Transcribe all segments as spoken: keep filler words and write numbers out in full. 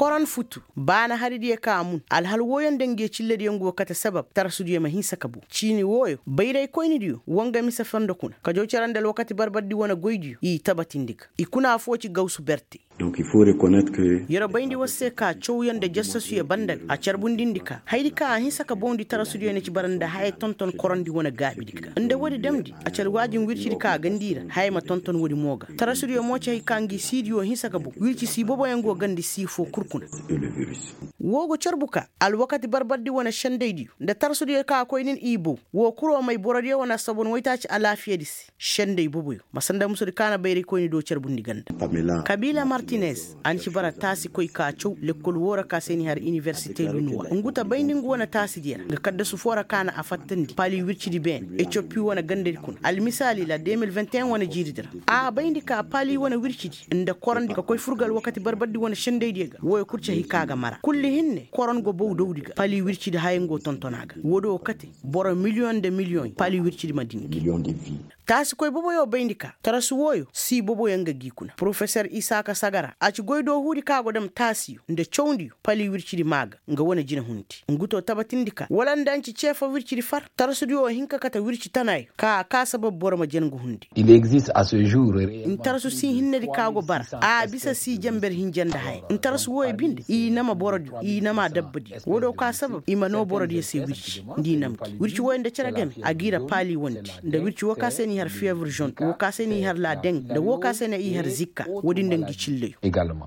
Koron futu baana haridiyo ka mun alhal wooyo nda nge cillediyo ngu wo kate sabab tarasudiyo ma hinsa ka bow ciini wooyo bayraykoynidiyo wa nga mise fondo kuna ka jaw cere nda alwakati barbardi wane goydiyo i tabatindi ga i kuna affoo ci gawsu berte. Yer bayndi war se ka cawyaŋ nda jassasuyo banda ga a carbundindi ka hayadi ka a hinsa ka bawndi tarasudiyo na ci bara nda haya tonton korondi wane gaabidi ga nda woodi damndi a ci alwaajin wircidi ka a gandi i ra haya ma tonton woodi mo ga tarasudiyo mo ci hay ka ngi siidiyo hinsa ka baw wirci sii boboyaŋ go gandi sii foo kul kuna. Woo go carbu ka alwakati barbardi wane sendaydiyo nda tarasudiyo ka a koy nin i baw woo kul wo may borodiyo wane assabon waytaaci alaafiyadi se. Senday boboyo ma sanda musudi ka na bayraykoyni do carbundi ganda. Kabiila martinez a na ci bara taasikoy ka caw lekkol woo ra ka se n'i har iniwersite lunuwa ngu ta bayndi ngu wane taasidiyo ra nga kaddasu foo ra ka na a fattandi paali wircidi beene etiyopi wane gandadi kuna almisaali la de mil vingt et un wane jiiridi ra. A bayndi ka paali wane wircidi nda korondi ka koy fur ga alwakati barbardi wane sendaydiyo ga wooyo kul ci hay ka ga mara kulli hinne koron go baw dawdi ga paali wircidi haya ngu wo tonton a ga woodi wo kate boro miliyoŋ nda miliyoŋ paali wircidi ma din gi. Taasikoy boboyo bayndi ka tarasu wooyo sii boboyaŋ ga gi kuna porofesor isaaka sagara a ci goydoohuudi ka go dam taasiyo nda cawndiyo pali wircidi maa ga nga wane jinahundi ngu to tabatindi ka wala nda nci ceefo wircidi far tarasudiyo hin ka kate wirci tanaayo ka a kaa sabab boro ma jen nga hundi. Ntarasu sii hinnedi ka go bara a bisa sii jenber hinja nda haya ntarasu wooyo binde i nama borodiyo i nama dabbadiyo woodiyo ka sabab i ma noo borodiyo se wirci nda i nam gi wirci wooyo nda cere game a g'i ra paali wandi nda wirci woo ka se n'i har fiyebre zone woo ka se n'i har laadeng nda woo ka se ne i har zikka woodi nda ngi cillayo.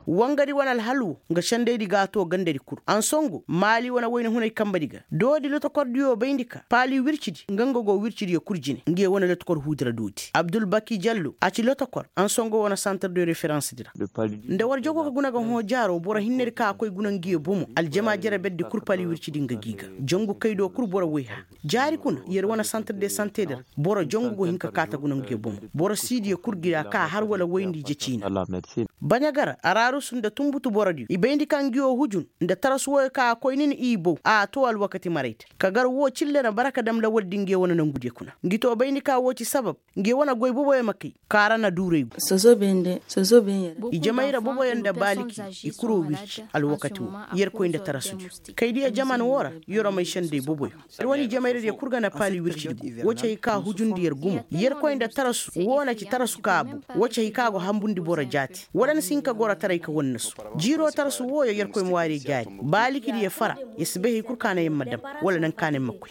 Wangadi wane alhal woo nga sendaydi g'a too gandadi kul ansongo maali wane wayna hunay kambadi ga doodi lotokordiyo bayndi ka paali wircidi nga nga go wircidiyo kul jine ngiyo wane lotokor huudi ra doodi abdul baki jallo a ci lotokor ansongo wane santar de referensedi ra. Nda war jogo ka guna ga hõ jaaro boro hinnedi ka a koy guna ngiyo bomo aljama jere berdi kul pali wircidi nga g'i ga jongu kaydo kul boro woy hã jaari kuna yer wane santar de santedi ra boro jongu go hin ka kaa ta guna ngiyo bomo boro siidiyo kul gi ra ka har wala woyndi je ciina. Baɲa gar ararus nda tunbutu borodiyo i bayndi ka ngiyo hujun nda tarasu wooyo ka a koy nin i bow a too alwakati marayte ka gar woo cille na bara ka dam lawaldi ngiyo wane nongudiyo kuna ngi too bayndi ka woo ci sabab ngiyo wane goy boboyo ma kay kaara na duuray gu. Ijamay ra boboyo nda baaliki i kuroo wirci alwakati woo yerkoy nda tarasudiyo kaydiyo jaman woo ra yeroo may senday boboyo. Yer wane ijamay ra diyo kul ga na paali wircidi gu woo ci hay ka hujundi yer gumo yerkoy nda tarasu woo na ci tarasu ka a bow woo ci hay ka go hambundi boro jaati wala ni si hin ka gorotaray ka wannasu jiiroo tarasu wooyo yerkoy ma waari jaari baalikidiyo fara yer si bay hay kul ka na yer ma dam wala naŋ ka na yer ma koy.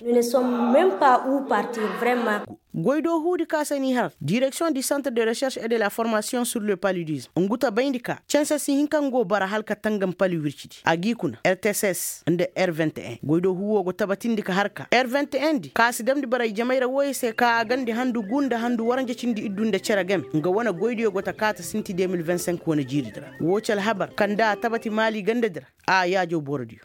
Goydoo huudi ka se n'i har direksiyoŋ di santre de recherche et de la formasiyoŋ sur le paludisme ngu ta bayndi ka canse si hin ka ngu bara hala ka tangam pali wircidi a g'i kuna r t s s nda r vingt et un goydoo huu woo go tabatindi ka har ka r vingt et un di ka si damndi bara ijamay ra wooyo se ka a gandi handu guu nda handu waranja cindi iddu nda cere game nga wane goydiyo go ta kaa ta sinti deux mille vingt cinq wane jiiridi ra woo ci alhabar kaŋ nda a tabati maali gandadi ra a yaajaw borodiyo.